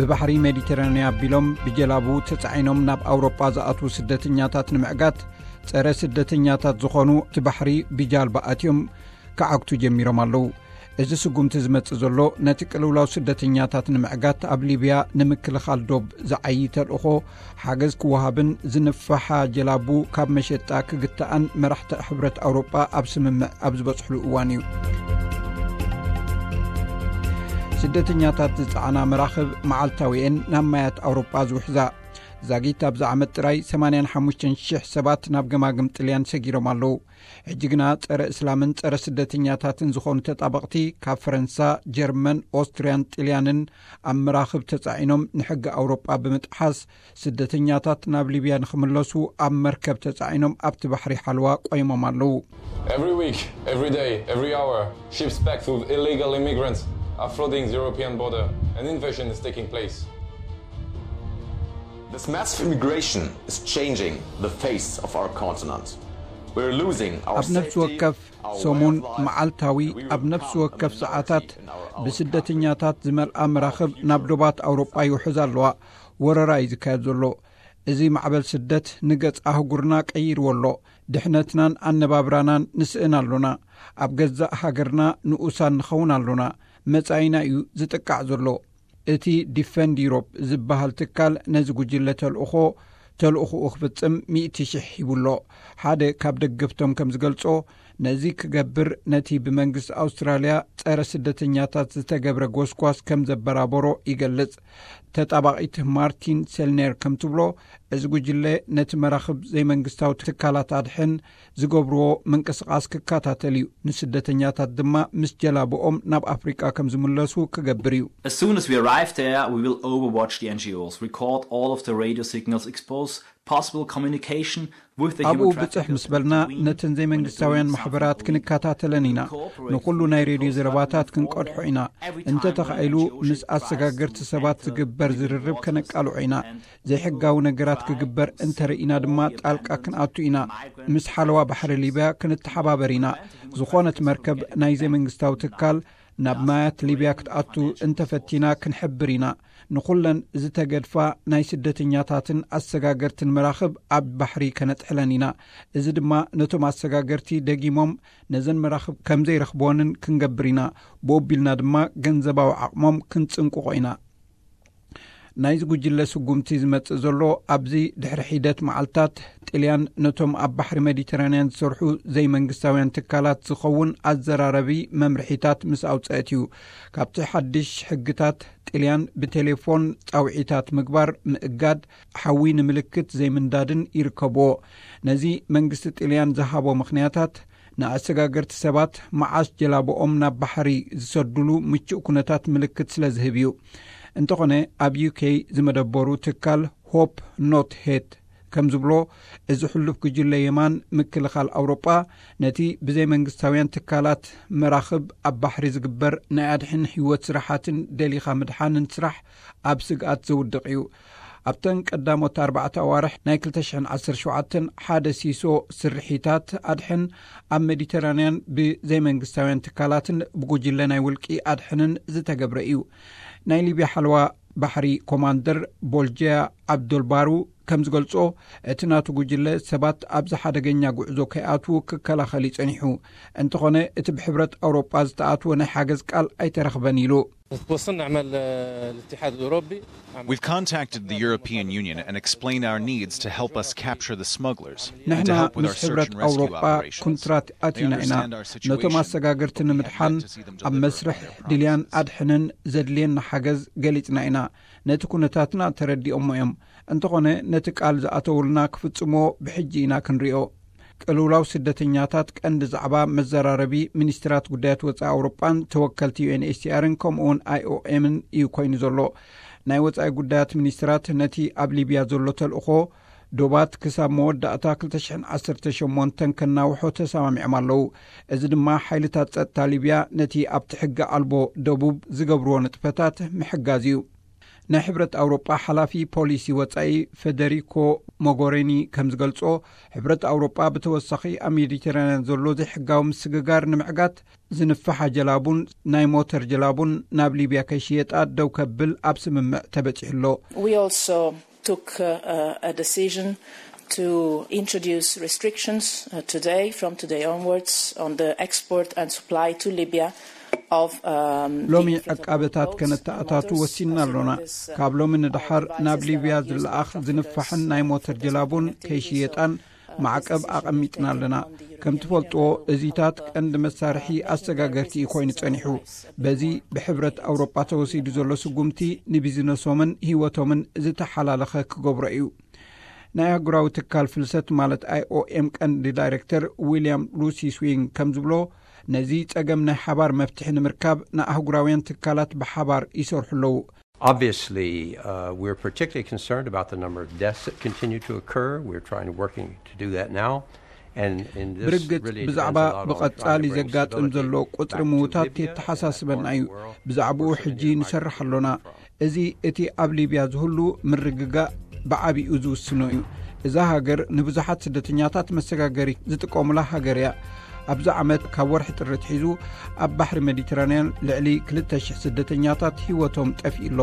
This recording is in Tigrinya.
ብባሕሪ ሜዲተራንያ ኣቢሎም ብጀላቡ ተጻዒኖም ናብ ኣውሮጳ ዝኣትዉ ስደተኛታት ንምዕጋት፣ ጸረ ስደተኛታት ዝኾኑ እቲ ባሕሪ ብጃልባ ኣትዮም ክዓግቱ ጀሚሮም ኣለዉ። እዚ ስጉምቲ ዝመጽእ ዘሎ፣ ነቲ ቅልውላው ስደተኛታት ንምዕጋት ኣብ ሊብያ ንምክልኻል ዶብ ዝዓዪ ተልእኾ ሓገዝ ክወሃብን ዝንፋሓ ጀላቡ ካብ መሸጣ ክግታኣን መራሕቲ ሕብረት ኣውሮጳ ኣብ ስምምዕ ኣብ ዝበጽሕሉ እዋን እዩ። ስደተኛታት ዝጸዓና መራኽብ መዓልታዊኤን ናብ ማያት ኣውሮጳ ዝውሕዛ። ዛጊት ኣብዚ ዓመት ጥራይ ሰማንያን ሓሙሽተን ሽሕ ሰባት ናብ ገማግም ጥልያን ሰጊሮም ኣለዉ። ሕጂ ግና ጸረ እስላምን ጸረ ስደተኛታትን ዝኾኑ ተጣበቕቲ ካብ ፈረንሳ፣ ጀርመን፣ ኦስትርያን ጥልያንን ኣብ መራኽብ ተጻዒኖም ንሕጊ ኣውሮጳ ብምጥሓስ ስደተኛታት ናብ ሊብያ ንኽምለሱ ኣብ መርከብ ተጻዒኖም ኣብቲ ባሕሪ ሓልዋ ቆይሞም ኣለዉ። Every week, every day, every hour, ships packed with illegal immigrants are flooding the European border. An invasion is taking place. This massive immigration is changing the face of our continent. We're losing our ኣብ ነፍሲ safety, ወከፍ our way ሰሙን of life, መዓልታዊ and we ኣብ will ነፍሲ become a ወከፍ minority ሰዓታት in our own ብስደተኛታት ዝመልኣ መራኽብ ናብ ዶባት ኣውሮጳ ይውሕዝ ኣለዋ። ወረራ እዩ ዝካየድ ዘሎ። እዚ ማዕበል ስደት ንገጽ ኣህጉርና ቀይርዎ ኣሎ። ድሕነትናን ኣነባብራናን ንስእን ኣሎና። ኣብ ገዛእ ሃገርና ንኡሳን ንኸውን ኣሎና። መጻኢና እዩ ዝጥቃዕ ዘሎ። እቲ ዲፈንድ ዩሮፕ ዝበሃል ትካል ነዚ ጉጅለ ተልእኾ ተልእኾኡ ክፍጽም ሚእቲ ሽሕ ሂቡሎ። ሓደ ካብ ደገፍቶም ከም ዝገልጾ፣ ነዚ ክገብር ነቲ ብመንግስቲ ኣውስትራልያ ጸረ ስደተኛታት ዝተገብረ ጎስጓስ ከም ዘበራበሮ ይገልጽ። ተጣባቒት ማርቲን ሴልኔር ከም ትብሎ፣ እዚ ጉጅለ ነቲ መራኽብ ዘይመንግስታዊ ትካላት ኣድሕን ዝገብርዎ ምንቅስቓስ ክከታተል እዩ። ንስደተኛታት ድማ ምስ ጀላብኦም ናብ ኣፍሪቃ ከም ዝምለሱ ክገብር እዩ። As soon as we arrive there, we will overwatch the N G Os, record all of the radio signals, expose possible communication with the ኣብኡ human ብጽሕ traffickers ምስ በልና and intervene ነተን when ዘይመንግስታውያን doing ማሕበራት something ክንከታተለን ኢና። ንኹሉ ናይ ሬድዮ ዘረባታት ክንቀድሖ ኢና። እንተ ተኻኢሉ ምስ ኣሰጋገርቲ ሰባት ዝግበር ዝርርብ ከነቃልዖ ኢና። ዘይሕጋዊ ነገራት ክግበር እንተ ርኢና ድማ ጣልቃ ክንኣቱ ኢና። ምስ ሓለዋ ባሕሪ ሊብያ ክንተሓባበር ኢና። ዝኾነት መርከብ ናይ ዘይመንግስታዊ ትካል ናብ ማያት ሊብያ ክትኣቱ እንተፈቲና ክንሕብር ኢና። ንኹለን ዝተገድፋ ናይ ስደተኛታትን ኣሰጋገርትን መራኽብ ኣብ ባሕሪ ከነጥሕለን ኢና። እዚ ድማ ነቶም ኣሰጋገርቲ ደጊሞም ነዘን መራኽብ ከም ዘይረኽብወንን ክንገብር ኢና። ብኡ ኣቢልና ድማ ገንዘባዊ ዓቕሞም ክንጽንቅቖ ኢና። ናይዚ ጉጅለ ስጉምቲ ዝመጽእ ዘሎ ኣብዚ ድሕሪ ሒደት መዓልታት ጥልያን ነቶም ኣብ ባሕሪ ሜዲተራንያን ዝሰርሑ ዘይመንግስታውያን ትካላት ዝኸውን ኣዘራረቢ መምርሒታት ምስ ኣውጸአት እዩ። ካብቲ ሓድሽ ሕግታት ጥልያን ብቴሌፎን ጻውዒታት ምግባር ምእጋድ፣ ሓዊ ንምልክት ዘይምንዳድን ይርከብዎ። ነዚ መንግስቲ ጥልያን ዝሃቦ ምኽንያታት ንኣሰጋገርቲ ሰባት መዓስ ጀላብኦም ናብ ባሕሪ ዝሰዱሉ ምቹእ ኩነታት ምልክት ስለ ዝህብ እዩ። እንተኾነ ኣብ ዩ ኬ ዝመደበሩ ትካል ሆፕ ኖት ሄት ከም ዝብሎ፣ እዚ ሕሉፍ ጉጅለ የማን ምክልኻል ኣውሮጳ ነቲ ብዘይ መንግስታውያን ትካላት መራኽብ ኣብ ባሕሪ ዝግበር ናይ ኣድሕን ህይወት ስራሓትን ደሊኻ ምድሓንን ስራሕ ኣብ ስግኣት ዘውድቕ እዩ። ኣብተን ቀዳሞት ኣርባዕተ ኣዋርሕ ናይ ክልተ ሽሕን ዓሰርተ ሸውዓተን ሓደ ሲሶ ስርሒታት ኣድሕን ኣብ ሜዲተራንያን ብዘይመንግስታውያን ትካላትን ብጉጅለ ናይ ውልቂ ኣድሕንን ዝተገብረ እዩ። ናይ ሊብያ ሓለዋ ባሕሪ ኮማንደር ቦልጀያ ዓብዶልባሩ ከም ዝገልጾ፣ እቲ ናቱ ጉጅለ ሰባት ኣብዚ ሓደገኛ ጉዕዞ ከይኣትዉ ክከላኸል እዩ ጸኒሑ። እንተኾነ እቲ ብሕብረት ኣውሮጳ ዝተኣትወ ናይ ሓገዝ ቃል ኣይተረኽበን ኢሉ። وصلنا عمل الاتحاد الأوروبي. We've contacted the European Union and explained our needs to help us capture the smugglers and to ንሕና help with ምስ our search ሕብረት and rescue ኣውሮጳ operations. ኩንትራት They ኣቲና ኢና። understand our ነቶም situation. ኣሰጋገርቲ ንምድሓን Yet to see them ኣብ deliver መስርሕ on their ድልያን promises. ኣድሕንን ዘድልየና ሓገዝ ገሊጽና ኢና። ነቲ ኩነታትና ተረዲኦሞ እዮም። እንተኾነ ነቲ ቃል ዝኣተውልና ክፍጽምዎ ብሕጂ ኢና ክንሪኦ። ቅልውላው ስደተኛታት ቀንዲ ዛዕባ መዘራረቢ ሚኒስትራት ጉዳያት ወጻኢ ኣውሮጳን ተወከልቲ ዩ ኤን ኤች ሲ ኣርን ከምኡውን ኣይ ኦ ኤምን እዩ ኮይኑ ዘሎ። ናይ ወጻኢ ጉዳያት ሚኒስትራት ነቲ ኣብ ሊብያ ዘሎ ተልእኾ ዶባት ክሳብ መወዳእታ ክልተ ሽሕን ዓሰርተ ሸሞንተን ከናውሖ ተሰማሚዖም ኣለዉ። እዚ ድማ ሓይልታት ጸጥታ ሊብያ ነቲ ኣብቲ ሕጊ ኣልቦ ደቡብ ዝገብርዎ ንጥፈታት ምሕጋዝ እዩ። ናይ ሕብረት ኣውሮጳ ሓላፊ ፖሊሲ ወጻኢ ፌደሪኮ ሞጎሬኒ ከም ዝገልጾ፣ ሕብረት ኣውሮጳ ብተወሳኺ ኣብ ሜዲተራንያን ዘሎ ዘይሕጋዊ ምስግጋር ንምዕጋት ዝንፍሓ ጀላቡን ናይ ሞተር ጀላቡን ናብ ሊብያ ከይሽየጣ ደው ከብል ኣብ ስምምዕ ተበጺሑ ኣሎ። We also took uh, a decision to introduce restrictions uh, today, from today onwards, on the export and supply to Libya of um, ሎሚ ዕቃበታት ከነተኣታቱ ወሲንና ኣሎና። ካብ ሎሚ ንድሓር ናብ ሊብያ ዝለኣኽ ዝንፋሕን ናይ ሞተር ጀላቡን ከይሽየጣን ማዕቀብ ኣቐሚጥና ኣለና። ከም ትፈልጥዎ፣ እዚታት ቀንዲ መሳርሒ ኣሰጋገርቲ እዩ ኮይኑ ጸኒሑ። በዚ ብሕብረት ኣውሮጳ ተወሲዱ ዘሎ ስጉምቲ ንቢዝነሶምን ህይወቶምን ዝተሓላለኸ ክገብሮ እዩ። ናይ ኣህጉራዊ ትካል ፍልሰት ማለት ኣይኦኤም ቀንዲ ዳይሬክተር ዊልያም ሉሲ ስዊንግ ከም ዝብሎ፣ ነዚ ጸገም ናይ ሓባር መፍትሒ ንምርካብ ንኣህጉራውያን ትካላት ብሓባር ይሰርሑ ኣለዉ። Obviously, uh, we're particularly concerned about the number of deaths that continue to occur. We're trying to working to do that now. And, and this ብርግጽ really ብዛዕባ depends a lot on trying ብቐጻሊ to bring ዘጋጥም stability ዘሎ ቁጽሪ back to ምውታት Libya and የተሓሳስበና that እዩ። part of the world ብዛዕባኡ where so ሕጂ many ንሰርሕ migrants ኣሎና። come from. እዚ እቲ ኣብ ሊብያ ዝህሉ ምርግጋእ ብዓቢኡ ዝውስኖ እዩ። እዛ ሃገር ንብዙሓት ስደተኛታት መሰጋገሪ ዝጥቀሙላ ሃገር እያ። ኣብዚ ዓመት ካብ ወርሒ ጥሪ ኣትሒዙ ኣብ ባሕሪ ሜዲተራንያን ልዕሊ ክልተ ሽሕ ስደተኛታት ህይወቶም ጠፊኡ ኣሎ።